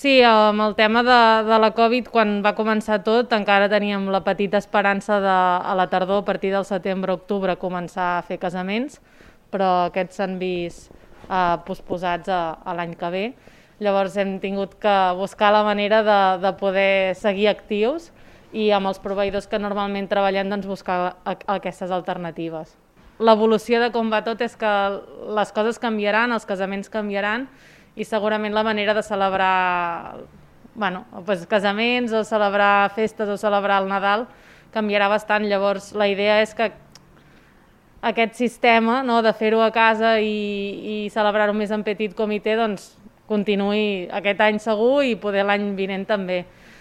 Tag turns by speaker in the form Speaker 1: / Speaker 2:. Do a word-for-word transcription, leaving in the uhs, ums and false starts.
Speaker 1: Sí, amb el tema de, de la Covid, quan va començar tot, encara teníem la petita esperança de, a la tardor, a partir del setembre-octubre, començar a fer casaments, però aquests s'han vist eh, posposats a, a l'any que ve. Llavors hem tingut que buscar la manera de, de poder seguir actius i amb els proveïdors que normalment treballem doncs, buscar a, a aquestes alternatives. L'evolució de com va tot és que les coses canviaran, els casaments canviaran i segurament la manera de celebrar bueno, doncs casaments o celebrar festes o celebrar el Nadal canviarà bastant. Llavors la idea és que aquest sistema, no, de fer-ho a casa i, i celebrar-ho més en petit comitè doncs, continuï aquest any segur i poder l'any vinent també.